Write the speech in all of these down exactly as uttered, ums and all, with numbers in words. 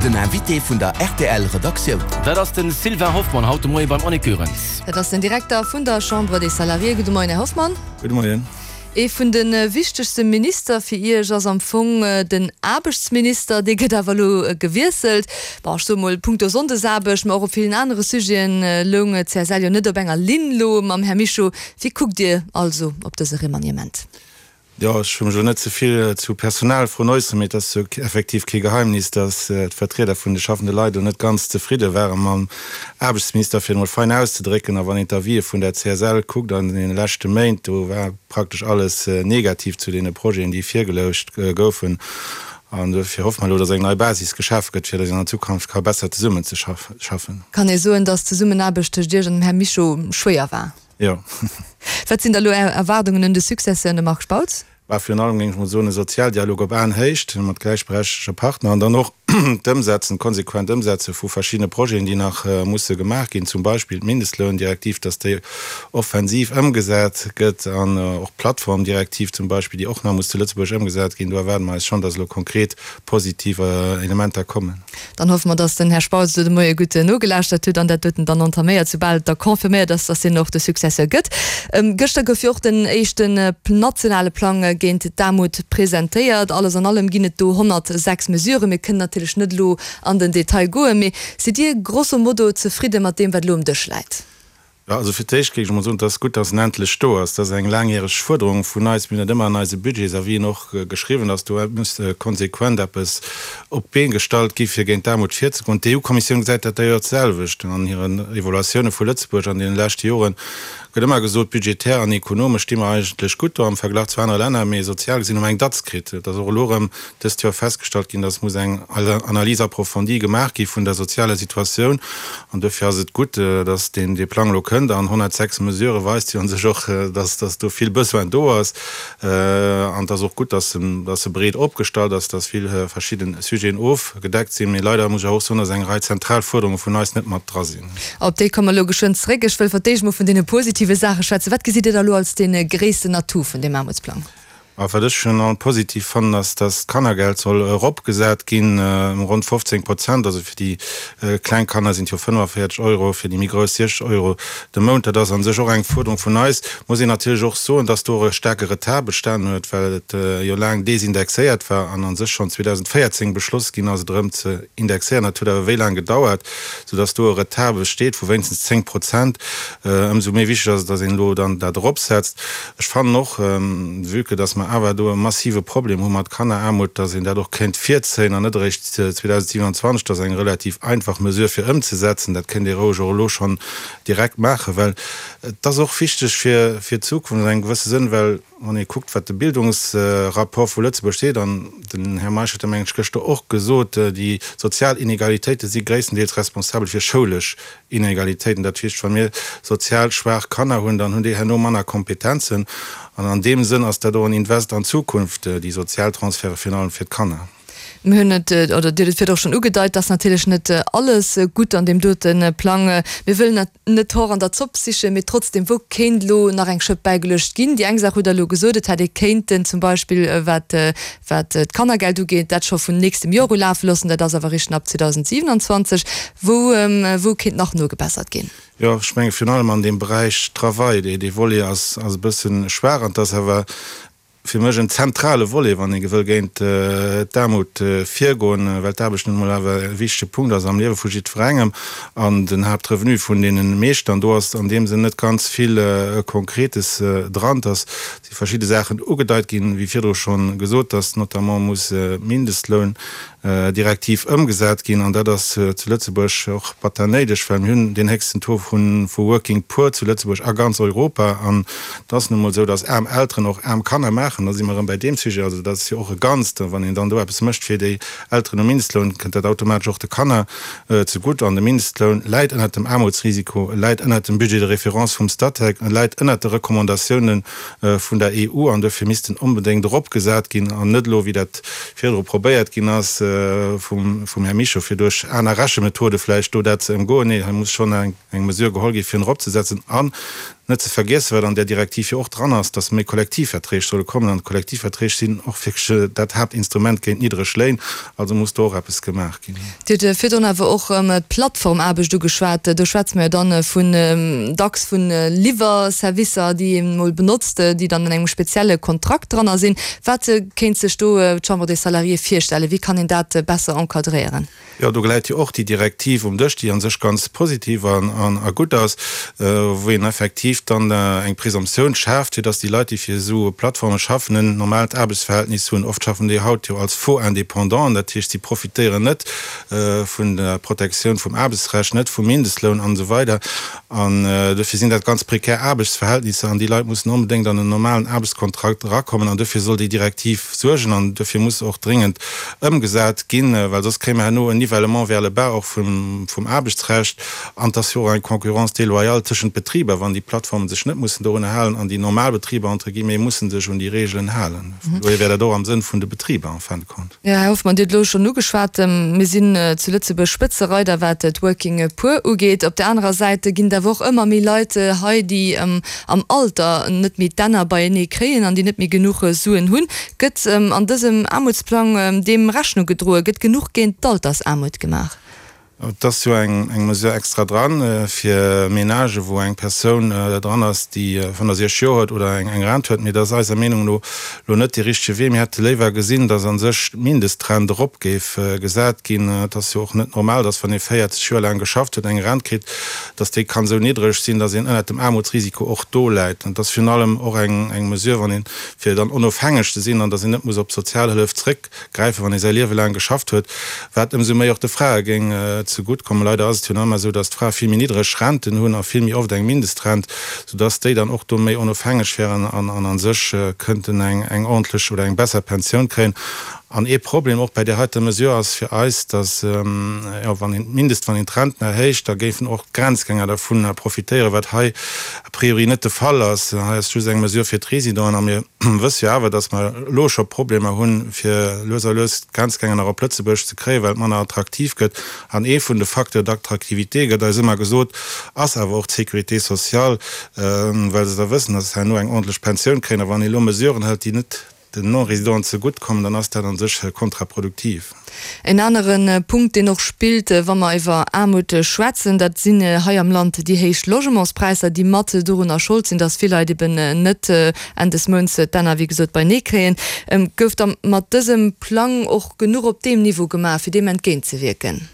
Den Invité vun der R T L Redaktioun. Dat ass den Sylvain Hoffmann haut de Moie beim Annick Goerens. Dat ass den Direkter vun der Chambre des Salariés. Gudde Moien, Här Hoffmann. Gudde Moien. Ee vun de wichtegste Minister fir Iech ass am Fong den Aarbechtsminister, dee gëtt awer elo gewiesselt. Bon, ech soe mol punkto Sonndesaarbecht, mä och op villen anere Sujeten loung d'C S L jo net op enger Linn elo mam Här Mischo. Wéi kuckt Dir also op dëse Remaniement? Jo, ech wëll mech elo net ze vill zu Personalfroen äusseren, mee et ass jo effektiv kee Geheimnis, datt d'Vertrieder vun de schaffende Leit elo net ganz zefridde ware mam Aarbechtsminister, fir et emol fein auszedrécken. A wann een d'Avisë vun der C S L kuckt an deene leschte Méint, do war praktesch alles negativ zu deene Projeten, déi virgeluecht goufen. An dofir hoffe mer elo, datt eng nei Basis geschaf gëtt, fir datt een an Zukunft ka besser zesummenzeschaffen. Kann ee soen, datt d'Zesummenaarbecht tëscht Iech an dem Här Mischo schwéier war? Jo. Wat sinn da lo Är Erwaardungen un de Successeur, de Marc Spautz? Bah, virun allem géing ech mol soen, e Sozialdialog op Aenhéicht mat gläichberechtege Partner an dann och d'Ëmsetzen, d'konsequent Ëmsetze vu verschiddene Projeten, déi nach musse gemaach ginn, zum Beispill d'Mindestloundirektiv, dass déi offensiv ëmgesat gëtt an och d'Plattformdirektiv zum Beispill, déi och nach muss zu Lëtzebuerg ëmgesat ginn. Do erwaarde mer eis schonn, dass elo konkret positiv Elementer kommen. Dann hoffe mer, dass den Här Spautz elo de Moie gutt nogelauschtert huet an dat doten dann entaméiert, soubal et da confirméiert ass, dass hien och de Successeur gëtt. Gëschter gouf jo och den éischten nationale Plang géint d'Aarmut presentéiert. Alles an allem ginn et do honnertsechs Mesuren. Mir kënnen natierlech net elo an den Detail goen, mee sidd Dir grosso modo zefridde mat deem, wat elo um Dësch läit? Jo, also fir d'éischt géif ech emol soen, et ass gutt, dass en endlech do ass. Dat ass eng laangjäreg Fuerderung vun eis. Mir hunn dat ëmmer an eise Budgetsavisen och geschriwwen, dass do muss konsequent eppes op d'Been gestallt gi fir géint d'Aarmut virzegoen. D'E U-Kommissioun gesäit dat d'ailleurs d'selwecht. An hiren Evaluatioune vu Lëtzebuerg an deene leschte Joren gëtt ëmmer gesot, budgetär an ekonomesch sti mer eigentlech gutt do am Verglach zu anere Länner, mee sozial gesinn hu mer eng Datz kritt. Et ass och elo erëm dëst Joer festgestallt ginn, dass muss eng Analyse approfondie gemaach gi vun der sozialer Situatioun. An dofir ass et gutt, dass deen dee Plang elo kënnt. An honnertsechs Mesurë weist jo u sech och, dass dass do vill Besoin do ass. An et ass och gutt, dass en dass e breet opgestallt ass, dass vill verschidde Sujeten ofgedeckt sinn. Mee leider muss ech awer och soen, dass eng Rei zentral Fuerderunge vun eis net mat dra sinn. Op déi komme mer elo geschwënn zeréck. Ech wëll fir d'éischt mol vun deene positive Saache schwätzen. Wat gesitt Dir da elo als dee gréissten Atout vun deem Aarmutsplang? A wat ech virun allem positiv fannen, ass, dass d'Kannergeld soll eropgesat ginn ëm ronn fofzéng Prozent. Also fir déi kleng Kanner sinn et jo fënnefavéierzeg Euro, fir déi méi grouss siechzeg Euro de Mount. Dat ass a sech och eng Fuerderung vun eis. Muss een natierlech och soen, dass do och e staarke Retard bestanen huet, well et jo laang desindexéiert war an a sech schonn zweedausendvéierzéng beschloss ginn ass, et erëm ze indexéieren. Dat huet awer wéi laang gedauert, soudass do e Retard besteet vu wéinstens zéng Prozent. Ëmsou méi wichteg ass et, dass een elo dann dat eropsetzt. Ech fannen och, vue que dass mer awer do e massive Problem hu mat Kanneraarmut, dass een dat och kéint virzéien an net eréischt zweedausendsiwenanzwanzeg. Dat ass eng relativ einfach Mesure fir ëmzesetzen. Dat kéint ee roueg och elo schonn direkt maachen, well et ass och wichteg fir fir d'Zukunft an engem gewësse Sënn, well wann ee kuckt, wat de Bildungsrapport vu Lëtzebuerg seet, an den Här Meisch huet dat, mengen ech, gëschter och gesot, déi sozial Inegalitéite si gréisstendeels responsabel fir schoulesch Inegalitéiten. Dat heescht, wa mir sozial schwaach Kanner hunn, dann hunn déi herno manner Kompetenzen. An an deem Sënn ass dat och en Invest an d'Zukunft, déi sozial Transferte virun allem fir d'Kanner. Mir hunn et, oder Dir hutt et virdu och schonn ugedeit, dass natierlech net alles gutt an deem dote Plang. Mir wëllen net d'Hor an der Zopp sichen, mee trotzdem, wou kéint elo nach eng Schëpp bäigeluecht ginn? Déi eng Saach hutt Der elo gesot, et hätt ee kéinten zum Beispill, wat wat d'Kannergeld ugeet, dat scho vun nächstem Joer u lafe loossen. Dat ass awer eréischt ab zweedausendsiewenanzwanzeg. Wou wou kéint nach nogebessert ginn? Jo, ech menge virun allem an deem Beräich Travail, dee dee Volet ass ass e bësse schwaach an et ass awer fir mech en zentrale Volet, wann ee wëll géint d'Aarmut virgoen, well d'Aarbecht nun emol awer e wichtege Punkt ass am Liewe vu jiddwerengem an den Haaptrevenu vun deene meeschten. An do ass an deem Sënn net ganz vill Konkretes dran. Et ass si verschidde Saachen ugedeit ginn, wéi virdru schonn gesot, dass notamment muss d'Mindestloun Direktiv ëmgesat ginn, an dat ass zu Lëtzebuerg och batter néideg, well mir hunn deen héchsten Taux vu Working Poor zu Lëtzebuerg a ganz Europa. An et ass nun emol esou, datt aarm Elteren och aarm Kanner maachen. Da si mer erëm bäi deem Sujet. Also dat ass jo och e Ganzt. Wann een dann do eppes mécht fir déi Elteren um Mindestloun, kënnt dat automatesch och de Kanner zegutt. An de Mindestloun läit ënnert dem Aarmutsrisiko, e läit ënnert dem Budget de référence vum Statec, e läit ënnert de Recommandatiounen vun der E U an dofir misst en onbedéngt eropgesat ginn an net elo, wéi dat virdru probéiert ginn ass vum Här Mischo, fir duerch aner Rechemethode vläicht do dat ze ëmgoen. Nee, hei muss schonn eng Mesure geholl gi fir en eropzesetzen. An net ze vergiessen, wat an där Direktiv jo och dran ass, dass méi Kollektivverträg solle kommen. kommen. An d'Kollektivverträg sinn och wierklech dat Haaptinstrument géint niddreg Léin. Also muss do och eppes gemaach ginn. Dir hutt virdrun awer och d'Plattformaarbecht ugeschwat. Do schwätze mer jo dann vun, dacks vu Liwwerservicer, déi een emol benotzt, déi dann an engem spezielle Kontrakt dranner sinn. Wat kéint sech do d'Chambre des Salariés virstellen? Wéi kann een dat besser encadréieren? Jo, do läit jo och déi Direktiv um Dësch, déi a sech ganz positiv an a gutt ass, wou een effektiv dann eng Présomptioun schaaft, fir dass déi Leit, déi fir esou Plattforme schaffen, en normaalt Aarbechtsverhältnis hunn. Oft schaffen déi haut jo als faux Indépendants, dat heescht, si profitéieren net vun der Protektioun vum Aarbechtsrecht, net vum Mindestloun an esou weider. An dofir sinn dat ganz prekär Aarbechtsverhältnisser an déi Leit mussen onbedéngt an en normalen Aarbechtskontrakt erakommen an dofir soll déi Direktiv suergen an dofir muss se och dringend ëmgesat ginn, well soss kréie mer herno en Nivellement vers le bas och vum Aarbechtsrecht an et ass jo och eng Concurrence déloyale tëschent Betriber, wann déi Plattformen sech net mussen dorunner halen an déi normal Betriber entre guillemets mussen sech un déi Regeln halen. Vun dohier wär dat och am Sënn vun de Betriber en fin de compte. Jo, Här Hoffmann, Dir hutt elo schonn ugeschwat, mir sinn zu Lëtzebuerg Spëtzereider wat d'Working Poor ugeet. Op där anerer Säit ginn et awer och ëmmer méi Leit hei, déi am Alter net méi d'Enner beienee kréien an déi net méi genuch Suen hunn. Gëtt an dësem Aarmutsplang deem Rechnung gedroen? Gëtt genuch géint d'Altersaarmut gemaach? Et ass jo eng Mesure extra dran fir Menagen, wou eng Persoun dran ass, déi fënnefsechzeg Joer huet oder eng Rent huet. Mee dat ass eiser Meenung no elo net dee richtege Wee. Mir hätte léiwer gesinn, datt a sech d'Mindestrent erop géif gesat ginn. Et ass jo och net normal, datt wann ee véierzeg Joer laang geschafft huet, eng Rent kritt, datt déi kann esou niddreg sinn, datt een ënnert dem Aarmutsrisiko och do läit. Et ass virun allem och eng Mesure, wann een, fir dann onofhängeg ze sinn an datt een net muss op Sozialhëllef zréckgräifen, wann ee säi Liewe laang geschafft huet, wat ëmsou méi och de Frae géing zegutt kommen. Leider ass et jo nach ëmmer esou, datt d'Frae vill méi niddreg Renten hunn a vill méi oft eng Mindestrent, soudatt déi dann och do méi onofhängeg wären an a sech kënnten eng ordentlech oder eng besser Pensioun kréien. An ee Problem och bei där heiter Mesure ass fir eis, datt, jo, wann een d'Mindest, wann een d'Renten erhéicht, da géifen och d'Grenzgänger dervun profitéieren, wat hei a priori net de Fall ass. Hei ass just eng Mesure fir d'Residenten a mir wësse jo awer, datt mer elo scho Problemer hunn, fir lues a lues d'Grenzgänger nach op Lëtzebuerg ze kréien, well et manner attraktiv gëtt. An ee vun de Facteurs d'attractivité, gëtt eis ëmmer gesot, ass awer och d'Sécurité sociale, well se da wëssen, datt se herno eng ordentlech Pensioun kréien. A wann ee elo Mesuren hëlt, déi net den Non-Résidenten zegutt kommen, dann ass dat a sech kontraproduktiv. En anere Punkt, deen och spillt, wa mer iwwer Aarmut schwätzen, dat sinn hei am Land déi héich Logementspräisser, déi mat dorunner Schold sinn, dass vill Leit eben net Enn des Mounts d'Enner, wéi gesot, beienee kréien. Gouf da mat dësem Plang och genuch op deem Niveau gemaach, fir deem entgéintzewierken?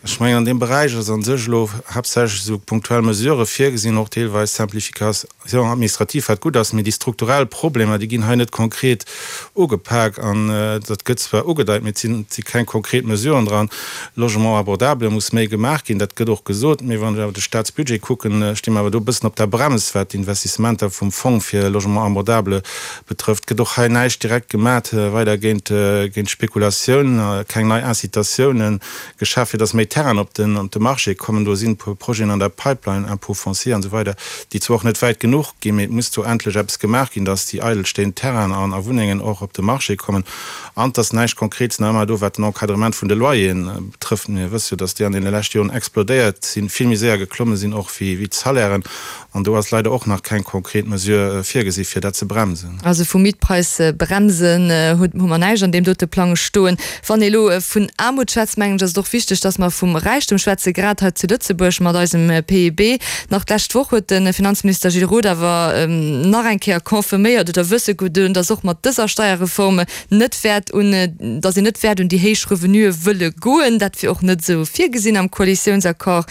Ech mengen, an deem Beräich ass a sech elo haaptsächlech esou punktuell Mesurë virgesinn, och deelweis Simplification administrative, wat gutt ass, mee déi strukturell Problemer, déi ginn hei net konkret ugepak. An dat gëtt zwar ugedeit, mee et sinn, et si keng konkret Mesuren dran. Logement abordable muss méi gemaach ginn, dat gëtt och gesot, mee wann ech awer de Staatsbudget kucken, sti mer awer do e bëssen op der Brems, wat d'Investissementer vum Fong fir Logement abordable betrëfft. Gëtt och hei näischt direkt gemat weider géint, géint d'Spekulatioun, keng nei Incitatiounen geschaf, fir datt méi Terrainen op den op de Marché kommen. Do sinn e puer Projeten an der Pipeline, Impôt foncier an esou weider, déi zwar och net wäit genuch ginn, mee et muss do endlech eppes gemaach ginn, dass déi eidelstehend Terrainen an a Wunnengen och op de Marché kommen. An et ass näischt Konkretes nach ëmmer do, wat den Encadrement vun de Loyeren betrëfft. Mir wësse jo, dass déi an deene leschte Joren explodéiert sinn, vill méi séier geklomme sinn och wéi wéi d'Salairen. An do ass leider och nach keng konkret Mesure virgesi fir dat ze bremsen. Also vu Mietpreisbremsen hu mer näischt an deem dote Plang stoen. Wann ee elo vun Aarmut schwätzt, mengen ech, ass et och wichteg, dass mer vum Räichtum schwätzen, grad hei zu Lëtzebuerg mat eisem P I B. Nach d'lescht Woch huet de Finanzminister Gilles Roth awer nach eng Kéier confirméiert oder wësse gedoen, dass och mat dëser Steierreform net wäert un, dass een net wäert un déi héich Revenuë wëlle goen. Dat wier och net esou virgesinn am Koalitiounsaccord.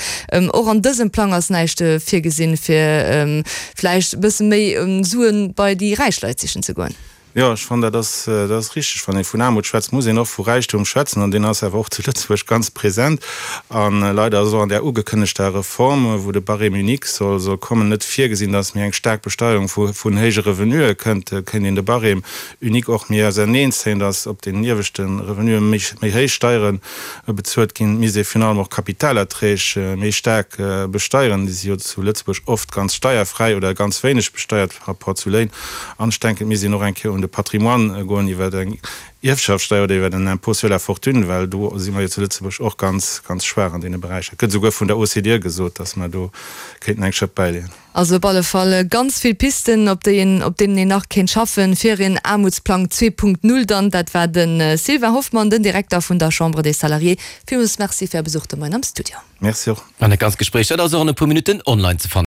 Och an dësem Plang ass näischt virgesinn, fir vläicht e bësse méi Suen bei déi räich Leit sichen ze goen. Jo, ech fannen, dat ass, dat ass richteg. Wann ee vun Aarmut schwätzt, muss een och vu Räichtum schwätzen. An deen ass awer och zu Lëtzebuerg ganz present. A leider ass och an där ugekënnegter Reform, wou de Barème unique soll, soll kommen, net virgesinn, dass méi eng staark Besteierung vu, vun héije Revenuë kënnt. Kéint een de Barème unique och méi auserneenzéien, dass op den ieweschte Revenuë méi, méi héich Steiere bezuelt ginn. Et misst ee virun allem och Kapitalerträg méi staark besteieren. Déi si jo zu Lëtzebuerg oft ganz steierfräi oder ganz wéineg besteiert par rapport zu Léin. An ech denken, et misst een och eng Kéier un un de Patrimoine goen iwwer eng Ierfschaftssteier oder iwwer en Impôt sur la fortune, well do si mer jo zu Lëtzebuerg och ganz, ganz schwaach an deene Beräicher. Et gëtt esouguer vun der OCDE gesot, dass mer do kéinten eng Schëpp bäileeën. Also op alle Fall ganz vill Pisten, op déi een, op deenen een nach kéint schaffen, fir een Aarmutsplang zwee Punkt null dann. Dat war de Sylvain Hoffmann, den Direkter vun der Chambre des Salariés. Villmools Merci fir Är Besuch de Moien am Studio. Merci och. An dat ganzt Gespréich, dat ass och an e puer Minutten online ze fannen.